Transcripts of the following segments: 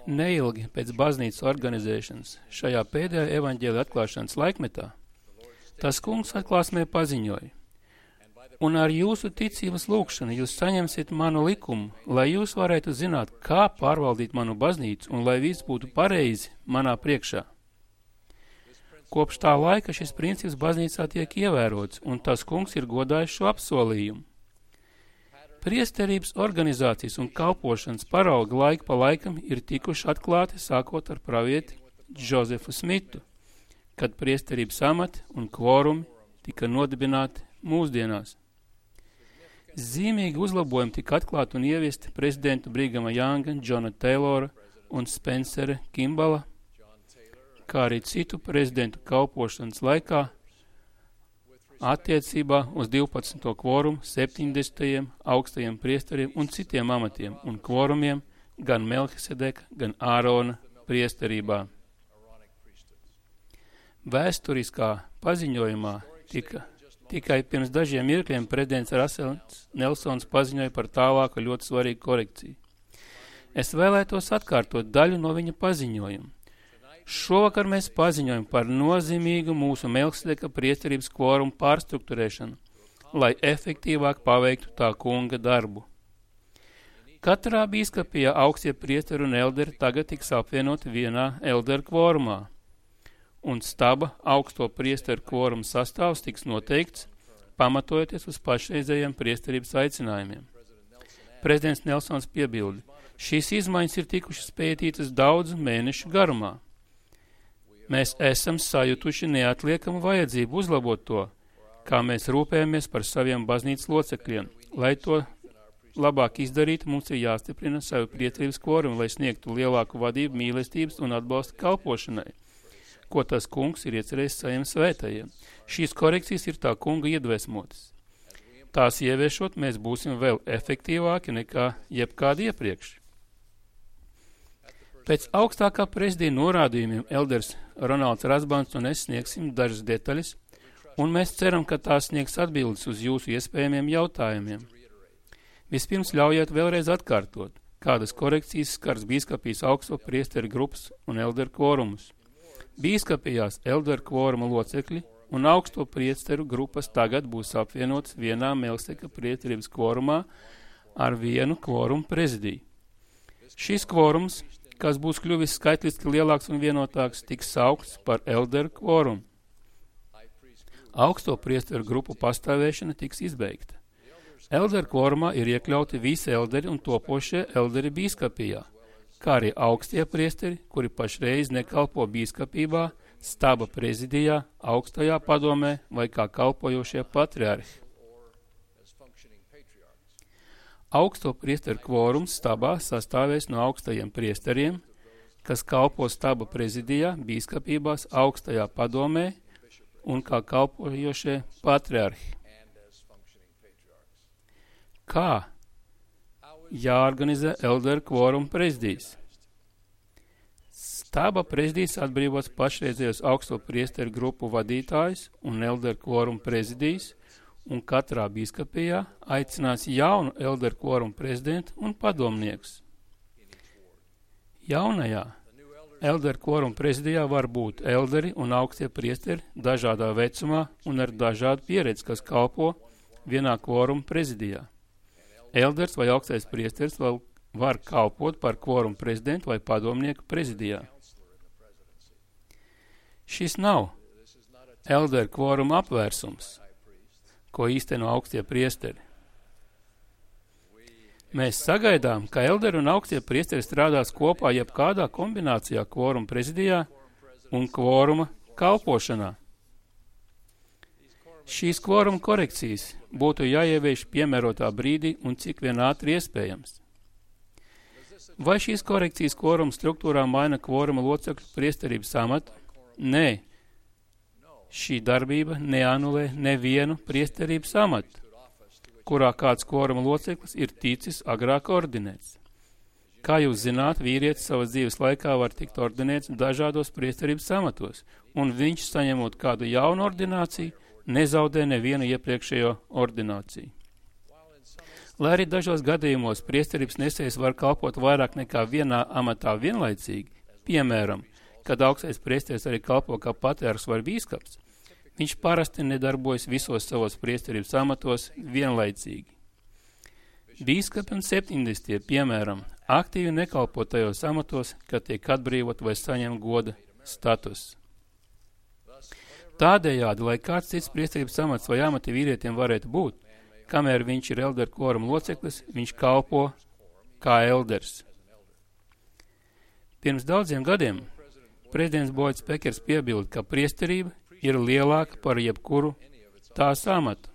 Neilgi pēc baznīcas organizēšanas šajā pēdējā evaņģēlija atklāšanas laikmetā, tas kungs atklāsmē paziņoja: un ar jūsu ticības lūgšanu jūs saņemsiet manu likumu, lai jūs varētu zināt, kā pārvaldīt manu baznīcu un lai viss būtu pareizi manā priekšā. Kopš tā laika šis princips baznīcā tiek ievērots, un tas kungs ir godājis šo apsolījumu. Priesterības organizācijas un kalpošanas parauga laiku pa laikam ir tikuši atklāti sākot ar pravieti Džozefu Smitu, kad priesterības amati un kvorumi tika nodibināti mūsdienās. Zīmīgi uzlabojumi tika atklāti un ieviesti prezidentu Brigama Janga, Džona Teilora un Spencera Kimbala, kā arī citu prezidentu kalpošanas laikā attiecībā uz 12. kvorumu, 70. augstajiem priesteriem un citiem amatiem un kvorumiem gan Melhisedeka, gan Ārona priesterībā. Vēsturiskā paziņojumā tikai pirms dažiem mirkļiem prezidents Rasels Nelsons paziņoja par tālāku ļoti svarīgu korekciju. Es vēlētos atkārtot daļu no viņa paziņojuma. Šovakar mēs paziņojam par nozīmīgu mūsu Melhisedeka priesterības kvorumu pārstrukturēšanu, lai efektīvāk paveiktu tā kunga darbu. Katrā bīskapijā augstie priesteri un elderi tagad tiks apvienoti vienā elderu kvorumā, un staba augsto priesteru kvoruma sastāvs tiks noteikts, pamatojoties uz pašreizējiem priesterības aicinājumiem. Prezidents Nelsons piebilda: šīs izmaiņas ir tikušas pētītas daudzu mēnešu garumā. Mēs esam sajutuši neatliekamu vajadzību uzlabot to, kā mēs rūpējamies par saviem baznīcas locekļiem. Lai to labāk izdarītu, mums ir jāstiprina savu priesterības kvorumu, lai sniegtu lielāku vadību, mīlestības un atbalstu kalpošanai, ko tas kungs ir iecerējis saviem svētajiem. Šīs korekcijas ir tā kunga iedvesmotas. Tās ieviešot, mēs būsim vēl efektīvāki nekā jebkādi iepriekš. Pēc augstākā prezidija norādījumiem elders Ronalds Rasbans un es sniegsim dažas detaļas, un mēs ceram, ka tās sniegs atbildes uz jūsu iespējamiem jautājumiem. Vispirms ļaujiet vēlreiz atkārtot, kādas korekcijas skars bīskapijas augsto priesteru grupas un elderu kvorumus. Bīskapijās elderu kvoruma locekļi un augsto priesteru grupas tagad būs apvienotas vienā Melhisedeka priesterības kvorumā ar vienu kvorumu prezidiju. Šis kvorums, kas būs kļuvis skaitliski lielāks un vienotāks, tiks saukts par elderu kvorumu. Augsto priesteru grupu pastāvēšana tiks izbeigta. Elderu kvorumā ir iekļauti visi elderi un topošie elderi bīskapijā, kā arī augstie priesteri, kuri pašreiz nekalpo bīskapībā, staba prezidijā, augstajā padomē vai kā kalpojošie patriarhi. Augsto priesteru kvorums stabā sastāvēs no augstajiem priesteriem, kas kalpo staba prezidijā, bīskapībās, augstajā padomē un kā kalpojošie patriarhi. Kā jāorganizē elderu kvorumu prezidijas? Staba prezidijas atbrīvos pašreizējos augsto priesteru grupu vadītājus un elderu kvorumu prezidijas, un katrā bīskapijā aicinās jaunu elderu kvorumu prezidentu un padomniekus. Jaunajā elderu kvorumu prezidijā var būt elderi un augstie priesteri dažādā vecumā un ar dažādu pieredzi, kas kalpo vienā kvorumu prezidijā. Elders vai augstais priesteris vēl var kalpot par kvorumu prezidentu vai padomnieku prezidijā. Šis nav elderu kvoruma apvērsums, ko īsteno augstie priesteri. Mēs sagaidām, ka elderi un augstie priesteri strādās kopā jebkādā kombinācijā kvoruma prezidijā un kvoruma kalpošanā. Šīs kvoruma korekcijas būtu jāievieš piemērotā brīdī un cik vien ātri iespējams. Vai šīs korekcijas kvoruma struktūrā maina kvoruma locekļu priesterības amatu? Nē. Šī darbība neanulē nevienu priesterības amatu, kurā kāds kvoruma loceklis ir ticis agrāk ordinēts. Kā jūs zināt, vīrietis savas dzīves laikā var tikt ordinēts dažādos priesterības amatos, un viņš, saņemot kādu jaunu ordināciju, nezaudē nevienu iepriekšējo ordināciju. Lai arī dažos gadījumos priesterības nesējs var kalpot vairāk nekā vienā amatā vienlaicīgi, piemēram, kad augstais priesteris arī kalpo kā patriarhs vai bīskaps, viņš parasti nedarbojas visos savos priesterības amatos vienlaicīgi. Bīskapi un septiņdesmitie, piemēram, aktīvi nekalpo tajos amatos, kad tiek atbrīvot vai saņem goda status. Tādējādi, lai kāds cits priesterības amats vai amati vīrietim varētu būt, kamēr viņš ir elderu kvoruma loceklis, viņš kalpo kā elders. Pirms daudziem gadiem prezidents Boids Pekers piebilda, ka priesterība ir lielāka par jebkuru tās amatu.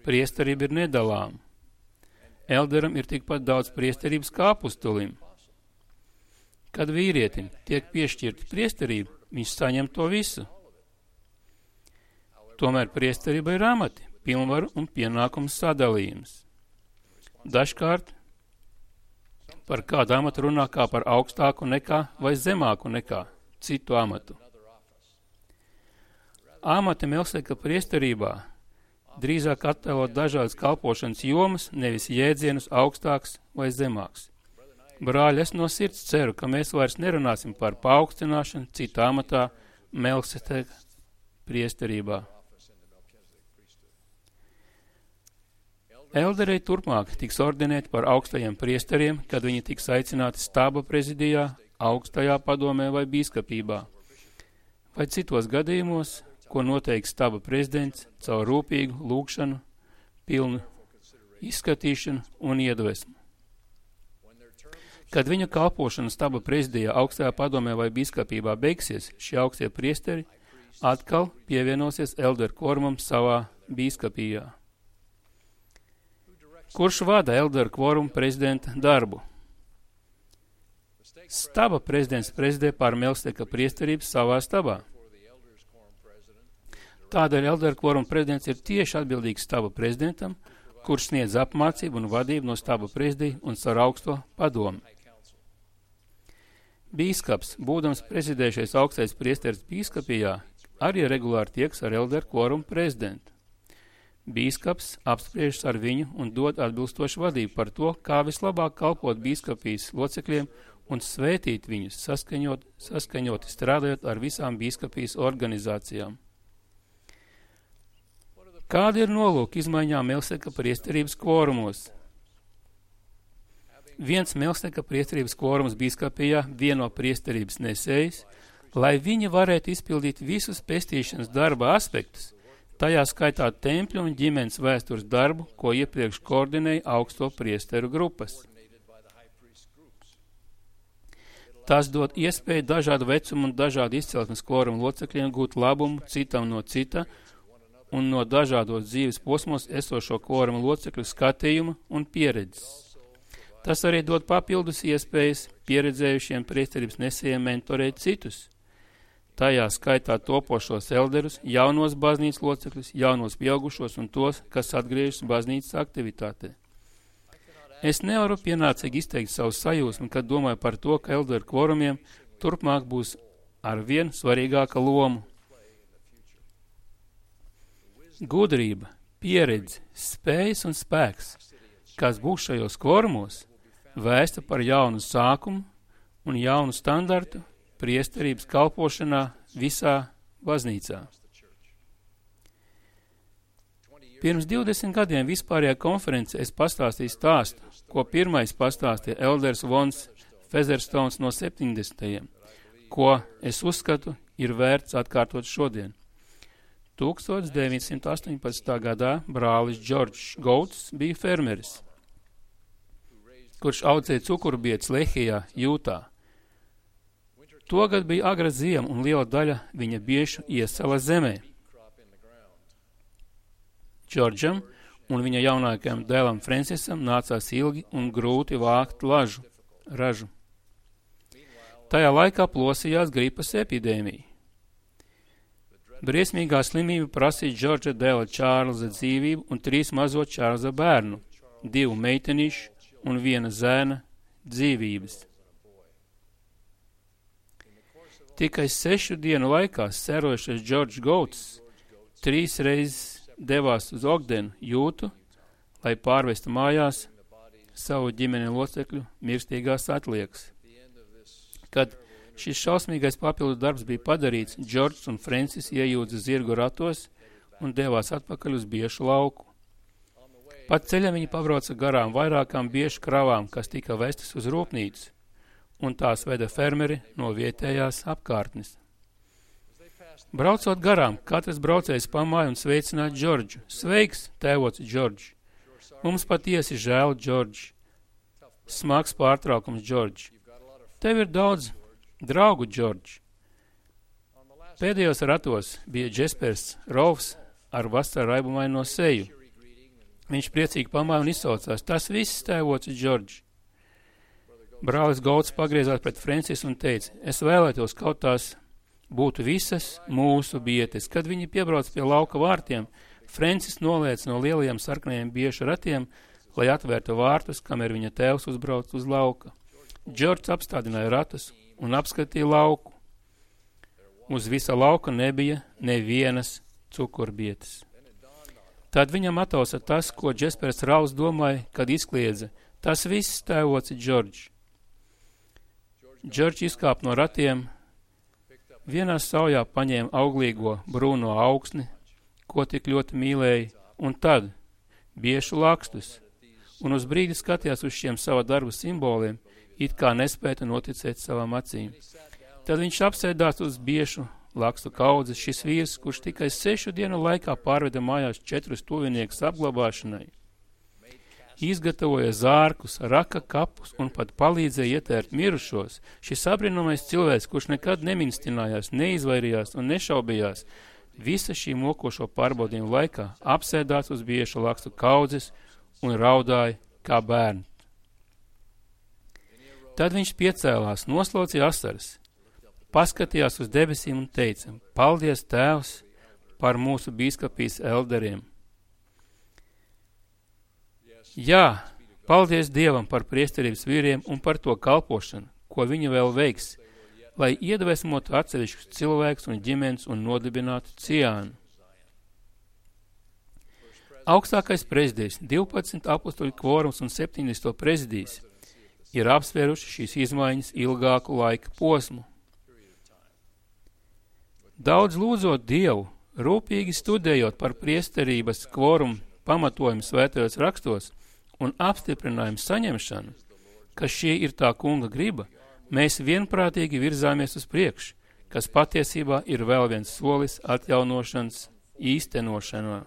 Priesterība ir nedalāma. Elderam ir tikpat daudz priesterības kā apustulim. Kad vīrietim tiek piešķirta priesterība, viņš saņem to visu. Tomēr priesterība ir amati, pilnvaru un pienākumu sadalījums. Dažkārt par kādu amatu runā kā par augstāku nekā vai zemāku nekā citu amatu. Amati Melseka priesterībā drīzāk attēlot dažādas kalpošanas jomas, nevis jēdzienus augstāks vai zemāks. Brāļi, es no sirds ceru, ka mēs vairs nerunāsim par paaugstināšanu citā amatā Melseka priesterībā. Elderei turpmāk tiks ordinēti par augstajiem priesteriem, kad viņi tiks aicināti stāba prezidijā, augstajā padomē vai bīskapībā, vai citos gadījumos, ko noteiks stāba prezidents caur rūpīgu lūgšanu, pilnu izskatīšanu un iedvesmu. Kad viņu kalpošana stāba prezidijā, augstajā padomē vai bīskapībā beigsies, šie augstie priesteri atkal pievienosies elderu kvorumam savā bīskapijā. Kurš vada elderu kvorumu prezidenta darbu? Staba prezidents prezidē pār Melseka priesterību savā stabā. Tādēļ elderu kvoruma prezidents ir tieši atbildīgs staba prezidentam, kurš sniedz apmācību un vadību no staba prezidija un caur augsto padomu. Bīskaps, būdams prezidējušais augstais priesteris bīskapijā, arī regulāri tieks ar elderu kvorumu prezidentu. Bīskaps apspriežas ar viņu un dod atbilstošu vadību par to, kā vislabāk kalpot bīskapijas locekļiem un svētīt viņus, saskaņoti strādājot ar visām bīskapijas organizācijām. Kāda ir nolūka izmaiņām Melseka priesterības kvorumos? Viens Melseka priesterības kvorums bīskapijā vieno priesterības nesējs, lai viņi varētu izpildīt visus pestīšanas darba aspektus, tajā skaitā tempļu un ģimenes vēstures darbu, ko iepriekš koordinēja augsto priesteru grupas. Tas dod iespēju dažādu vecumu un dažādu izcelsmes kvorumu locekļiem gūt labumu citam no cita un no dažādos dzīves posmos esošo kvorumu locekļu skatījuma un pieredzes. Tas arī dod papildus iespējas pieredzējušiem priesterības nesējiem mentorēt citus, tajā skaitā topošos elderus, jaunos baznīcas locekļus, jaunos pieaugušos un tos, kas atgriežas baznīcas aktivitātē. Es nevaru pienācīgi izteikt savu sajūsmu, kad domāju par to, ka elderu kvorumiem turpmāk būs ar vien svarīgāka loma. Gudrība, pieredze, spējas un spēks, kas būs šajos kvorumos, vēsta par jaunu sākumu un jaunu standartu priesterības kalpošanā visā baznīcā. Pirms 20 gadiem vispārējā konferencē es pastāstīju stāstu, ko pirmais pastāstīja elders Vons Featherstones no 70. ko es uzskatu ir vērts atkārtot šodien. 1918. gadā brālis Džordžs Gouts bija fermeris, kurš audzēja cukurbietes Lehijā, Jūtā. Togad bija agra ziema un liela daļa viņa biešu iesala zemē. Džordžam un viņa jaunākajam dēlam Francisam nācās ilgi un grūti vākt ražu. Tajā laikā plosījās gripas epidēmija. Briesmīgā slimība prasīja Džordža dēla Čārlza dzīvību un 3 mazo Čārlza bērnu, 2 meitenīšu un 1 zēna dzīvības. Tikai 6 dienu laikā serojušais Džordžs Gouts 3 reizes devās uz Ogdenu, Jūtu, lai pārvestu mājās savu ģimeni locekļu mirstīgās atliekas. Kad šis šausmīgais papildu darbs bija padarīts, Džordžs un Francis iejūdza zirgu ratos un devās atpakaļ uz biešu lauku. Pat ceļam viņi pabrauca garām vairākām biešu kravām, kas tika vestas uz rūpnīcu, un tās veda fermeri no vietējās apkārtnes. Braucot garām, katrs braucējs pamāja un sveicināja Džordžu. Sveiks, tēvoci Džordž! Mums patiesi žēl, Džordž! Smags pārtraukums, Džordž! Tev ir daudz draugu, Džordž! Pēdējos ratos bija Džespers Rolfs ar vasara raibumaino seju. Viņš priecīgi pamāja un izsaucās. Tas viss, tēvoci Džordž! Brālis Gauts pagriezās pret Francis un teica, es vēlētos kaut tās būtu visas mūsu bietes. Kad viņi piebrauc pie lauka vārtiem, Francis noliec no lielajiem sarkanajiem biešu ratiem, lai atvērtu vārtus, kamēr viņa tēvs uzbrauc uz lauka. Džordžs apstādināja ratus un apskatīja lauku. Uz visa lauka nebija nevienas cukurbietes. Tad viņam atausa tas, ko Džespers Rauls domāja, kad izkliedza. Tas viss, tēvoci Džordž. Džordž izkāp no ratiem, vienā saujā paņēma auglīgo brūno augsni, ko tik ļoti mīlēja, un tad biešu lakstus, un uz brīdi skatījās uz šiem sava darba simboliem, it kā nespēja noticēt savām acīm. Tad viņš apsēdās uz biešu lakstu kaudzes, šis vīrs, kurš tikai 6 dienu laikā pārveda mājās 4 tuviniekus apglabāšanai. Izgatavoja zārkus, raka kapus un pat palīdzēja ietērt mirušos. Šis apbrīnamais cilvēks, kurš nekad neminstinājās, neizvairījās un nešaubījās, visa šī mokošo pārbaudījumu laikā apsēdās uz biešu lakstu kaudzes un raudāja kā bērni. Tad viņš piecēlās, noslaucīja asaras, paskatījās uz debesīm un teica, paldies, Tēvs, par mūsu bīskapijas elderiem. Jā, paldies Dievam par priesterības vīriem un par to kalpošanu, ko viņi vēl veiks, lai iedvesmotu atsevišķus cilvēkus un ģimenes un nodibinātu ciānu. Augstākais prezidijs, 12 apostoļu kvorums un 70. prezidijs ir apsvēruši šīs izmaiņas ilgāku laika posmu. Daudz lūdzot Dievu, rūpīgi studējot par priesterības kvorumu pamatojumu svētajos rakstos un apstiprinājumu saņemšanu, ka šī ir tā kunga griba, mēs vienprātīgi virzāmies uz priekšu, kas patiesībā ir vēl viens solis atjaunošanas īstenošanā.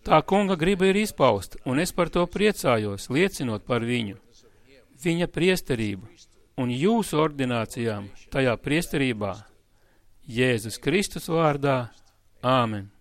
Tā kunga griba ir izpausta, un es par to priecājos, liecinot par viņu, viņa priesterību un jūsu ordinācijām tajā priesterībā, Jēzus Kristus vārdā. Āmen.